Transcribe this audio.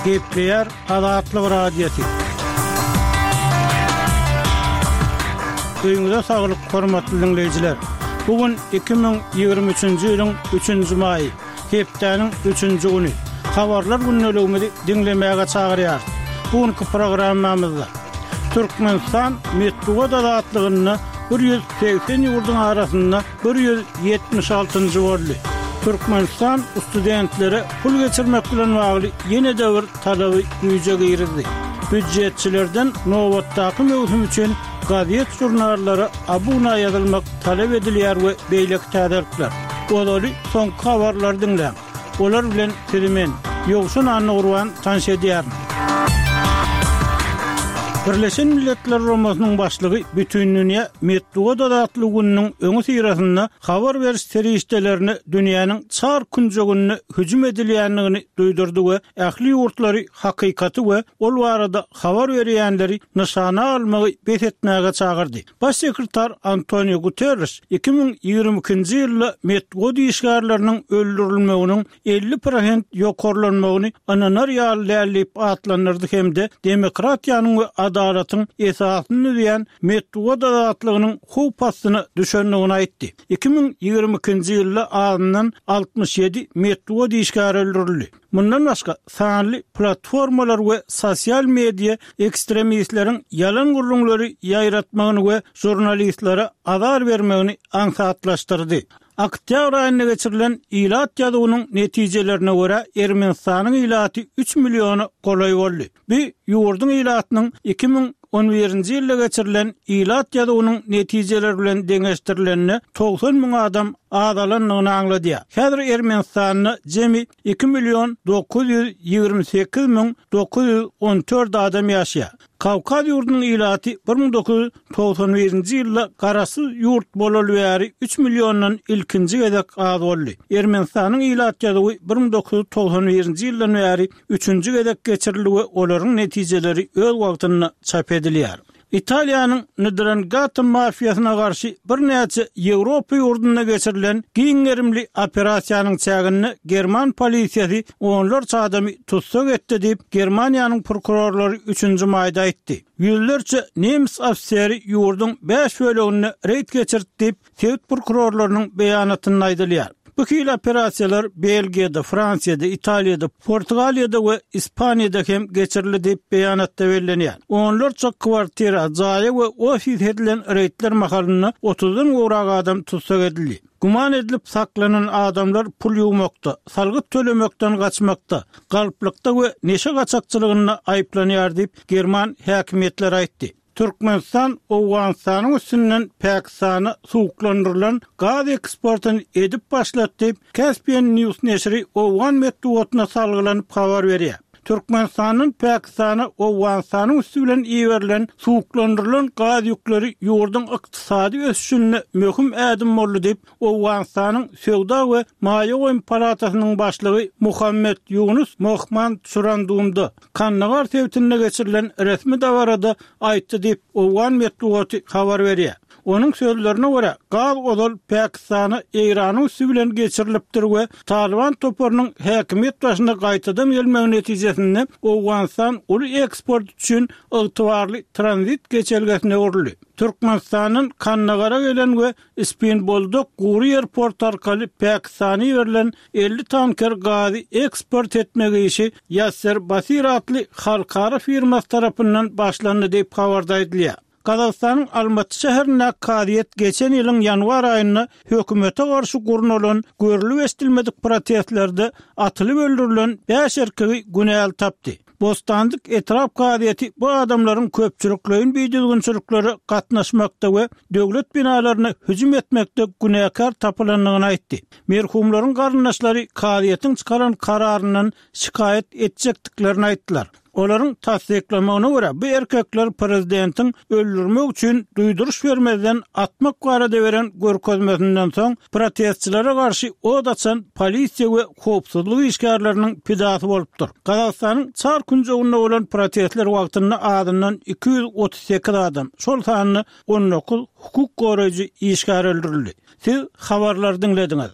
Gepleýär Azatlyk Radiosy. Öýüňize saglyk, hormatly diňleýjiler! Bu gün 2023-nji ýylyň üçünji maýy, hepdäniň üçünji güni. Habarlar gündeligimizi diňlemäge çagyrýarys. Bu günki programmamyzda Türkmenistan metbugat azatlygynda 180 ýurduň arasynda 176-njy boldy. Türkmenistan studentlere pul geçirmek bilen bagly ýene-de bir talaby güýje girizdi. Býujetçilerden nobatdaky möwsüm üçin gazet-žurnallara abuna ýazylmak talap edilýär we beýleki täzelikler. Ozaly soňky habarlary diňläň. Olar bilen sizi men, Ýowşan Annagurban tanyş edýärin. Birleşen Milletler Guramasynyň başlygy Bütindünýä metbugat azatlygy gününiň öňüsyrasynda habar beriş serişdelerine dünýäniň çar künjeginde hüjüm edilýändigini duýdurdy we ähli ýurtlary hakykaty we ol barada habar berýänleri nyşana almagy bes etmäge çagyrdy. Baş sekretar Antonio Guterreş 2022-nji ýylda metbugat işgärleriniň öldürilmeginiň 50 prosent ýokarlanmagyny ynanar ýaly däl diýip atlandyrdy hem-de demokratiýanyň we adalatyň esasyny düzýän metbugat azatlygynyň howp astyna düşendigini aýtdy. 2022-nji ýylda azyndan 67 metbugat işgäri öldürildi. Mundan başga, sanly platformalar we sosial media ekstremistleriň ýalan gürrüňleri ýaýratmagyny we žurnalistlere azar bermegini aňsatlaşdyrdy. Oktýabr aýynda geçirilen ilat ýazuwynyň netijelerine görä, Ermenistanyň ilaty üç milliona golaý boldy. Bu ýurduň ilatynyň 2011-nji ýylda geçirilen ilat ýazuwynyň netijeleri bilen deňeşdirilende 90 müň adam azalandygyny aňladýar. Häzir Ermenistanda jemi 2 million 928 müň 914 adam ýaşaýar. Kawkaz ýurdunyň ilaty 1991-nji ýylda garaşsyz ýurt bolaly bäri üç milliondan ilkinji gezek az boldy. Ermenistanyň ilat ýazuwy 1991-nji ýyldan bäri üçünji gezek geçirildi we olaryň netijeleri öz wagtynda çap edilýär. Italiýanyň Ndrangheta mafiýasyna garşy birnäçe Ýewropa ýurdunda geçirilen giň gerimli operasiýanyň çäginde german polisiýasy onlarça adamy tussag etdi diýip, Germaniýanyň prokurorlary üçünji maýda aýtdy. Ýüzlerçe nemes ofiseri ýurduň bäş böleginde reýd geçirdi diýip, sebit prokurorlarynyň beýanatynda aýdylýar. Bu hili operasiýalar Belgiýada, Fransiýada, Italiýada, Portugaliýada we Ispaniýada hem geçirildi diýip, beýanatda bellenýär. Onlarça kwartira, jaýa we ofise edilen reýdler mahalynda otuzdan gowrak adam tussag edildi. Güman edilip saklanan adamlar pul ýuwmakda, salgyt tölemekden gaçmakda, galplykda we neşe gaçakçylygynda aýyplanýar diýip, german häkimiýetleri aýtdy. Türkmenistan Owganystanyň üstünden Pakistana suwuklandyrylan gaz eksportyny edip başlady diýip, Caspian News neşiri owgan metbugatyna salgylanyp habar berýär. Türkmenistandan Pakistana Owganystanyň üsti bilen iberilen suwuklandyrylan gaz ýükleri ýurduň ykdysady ösüşinde möhüm ädim boldy diýip, Owganystanyň Söwda we maýa goýum palatasynyň başlygy Muhammet Ýunus Mohmand Çurandumda, Kandagar sebitinde geçirilen resmi dabarada aýtdy diýip, owgan metbugaty habar berýär. Onuň sözlerine görä, gaz ozal Pakistana Eýranyň üsti bilen geçirilipdir we Talyban toparynyň häkimiýet başyna gaýtadan gelmegi netijesinde Owganystan uly eksport üçin ygtybarly tranzit geçelgesine öwrüldi. Türkmenistandan Kandagara gelen we Spin Boldak gury ýer porty arkaly Pakistana iberilen 50 tanker gazy eksport etmek işi Ýasser Basir atly halkara firmasy tarapyndan başlandy diýip habarda aýdylýar. Gazagystanyň Almaty şäherindäki kazyýet geçen ýylyň ýanwar aýynda hökümete garşy gurnalan görlüp-eşidilmedik protestlerde atylyp öldürilen bäş erkegi günäli tapdy. Bostandyk etrap kazyýeti bu adamlaryň köpçülikleýin bidüzgünçiliklere gatnaşmakda we döwlet binalaryna hüjüm etmekde günäkär tapylandygyny aýtdy. Merhumlaryň garyndaşlary kazyýetiň çykaran kararyndan şikaýat etjekdiklerini aýtdylar. Olaryň tassyklamagyna görä, bu erkekler prezidentiň öldürmek üçin duýduryş bermezden atmak barada beren görkezmesinden soň, protestçilere garşy ot açan polisiýa we howpsuzlyk işgärleriniň pidasy bolupdyr. Gazagystanyň çar künjeginde bolan protestler wagtynda azyndan 238 adam, şol sanda 19 hukuk goraýjy işgär öldürildi. Siz habarlary diňlediňiz.